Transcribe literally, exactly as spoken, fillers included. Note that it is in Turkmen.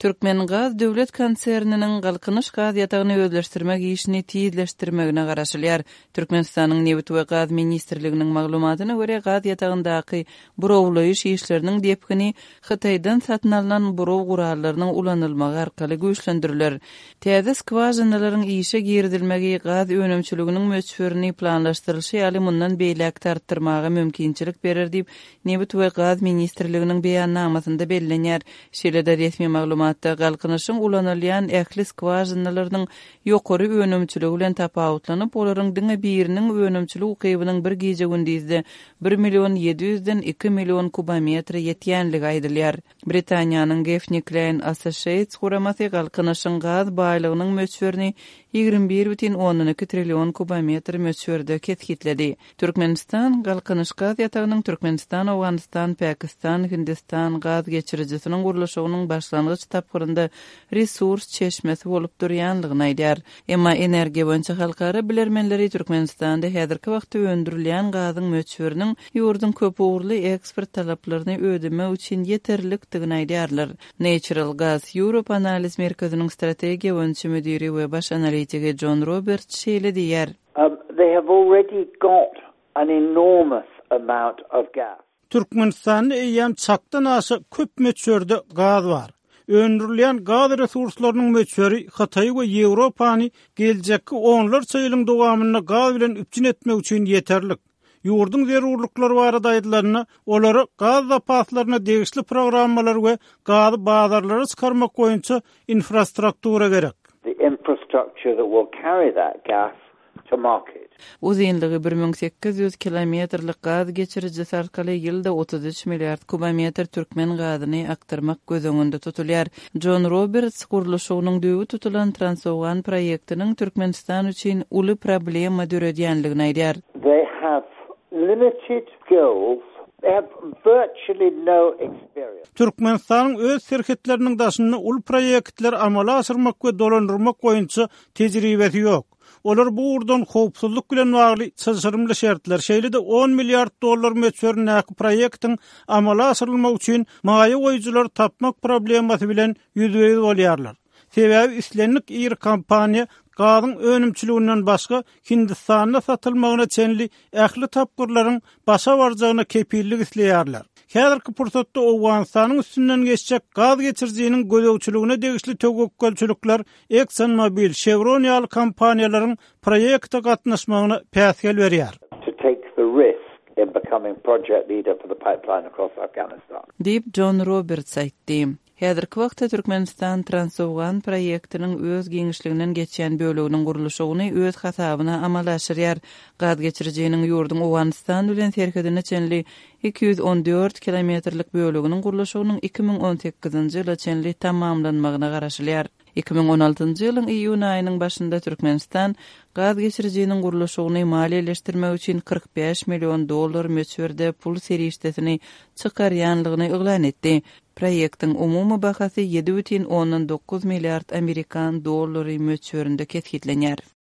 Türkmengaz döwlet konserniniň Galkynyş gaz ýatagyny özleşdirmek işini tizleşdirmegine garaşylýar. Türkmenistanyň Nebit we gaz ministrliginiň maglumatyna görä, gaz ýatagyndaky burawlaýyş işleriniň depgini Hytaýdan satyn alnan buraw gurallarynyň ulanylmagy arkaly güýçlendiriler. Täze skwažinalaryň işe girizilmegi gaz önümçiliginiň möçberini planlaşdyrylyşy ýaly mundan beýläk-de artdyrmaga mümkinçilik berer diýip, Nebit we gaz ministrliginiň beýannamasynda bellenýär. Şeýle-de resmi maglumatda Galkynyşyň ulanylýan ähli skwažinalarynyň ýokary önümçiligi bilen tapawutlanyp, olaryň diňe biriniň önümçilik ukybynyň bir gije-gündizde bir million ýedi ýüzden iki million kubometre ýetýänligi aýdylýar. Britaniýanyň Gaffney Cline Associates guramasy Galkynyşyň gaz baýlygynyň möçberini ýigrimi bir bütin ondan iki trillion kubometr möçberde kesgitledi. Türkmenistan Galkynyş gaz ýatagynyň Türkmenistan, Owganystan, Pakistan, Hindistan gaz geçirijisiniň gurluşygynyň başlangyç tapgyrynda resurs çeşmesi bolup durýanlygyny aýdýar. Emma energiýa boýunça halkara bilermenleri Türkmenistanda häzirki wagtda öndürilýän gazyň möçberiniň ýurduň köpugurly eksport talaplaryny ödemek üçin ýeterlikdigini aýdýarlar. Natural Gas Europe analiz merkeziniň strategiýa boýunça müdiri we baş analitigi Jon Roberts şeýle diýýär. Um, they have already got an enormous amount of gas. Türkmenistanda eýýäm çakdan aşa köp möçberde gaz bar. Öndürilýän gaz resurslarynyň möçberi Hytaýy we Ýewropany geljekki onlarça ýylyň dowamynda gaz bilen üpjün etmek üçin ýeterlik. Ýurduň zerurlyklary barada aýdylanda, olara gaz zapaslaryna degişli programmalar we gazy bazarlara çykarmak boýunça infrastruktura gerek. The infrastructure that will carry that gas to market. Uzynlygy bir müň sekiz ýüz kilometrlik gaz geçirijisi arkaly ýylda otuz üç milliard kubometr türkmen gazyny akdyrmak göz öňünde tutulýar. Jon Roberts gurluşygynyň düýbi tutulan Transowgan proýektiniň Türkmenistan üçin uly problema döredýänligini aýdýar. They have limited skills, they have virtually no experience. Türkmenistanyň öz serhetleriniň daşynda uly proýektleri amala aşyrmak we dolandyrmak boýunça tejribesi ýok. Olar bu ugurdan howpsuzlyk bilen bagly çylşyrymly şertler, şeýle-de on milliard dollar möçberindäki proýektiň amala aşyrylmagy üçin maýa goýujylary tapmak problemasy bilen ýüzbe-ýüz bolýarlar. Sebäbi islendik iri kompaniýa gazyň önümçiliginden başga Hindistanda satylmagyna çenli ähli tapgyrlaryň başa barjagyna kepillik isleýärler. Häzirki pursatda Owganystanyň üstünden geçjek gaz geçirijiniň gözegçiligine degişli töwekgelçilikler ExxonMobil, Chevron ýaly kompaniýalaryň proýekte gatnaşmagyna päsgel berýär. To take the risk in becoming project leader for the pipeline across Afghanistan. Diýip Jon Roberts aýtdy. Häzirki wagtda Türkmenistan Transowgan proýektiniň öz giňişliginden geçýän böleginiň gurluşygyny öz hasabyna amala aşyrýar. Gaz geçirijiniň ýurduň Owganystan bilen serhedine çenli iki ýüz on dört kilometrlik böleginiň gurluşygynyň iki müň on sekizinji ýyla çenli tamamlanmagyna garaşylýar. Iki müň on altynjy ýylyň iýun aýynyň başynda Türkmenistan gaz geçirijiniň gurluşygyny maliýeleşdirmek üçin kyrk bäş million dollar möçberde pul serişdesini çykarýanlygyny yglan etdi. Proýektiň umumy bahasy ýedi bütin ondan dokuz milliard amerikan dollary möçberinde kesgitlenýär.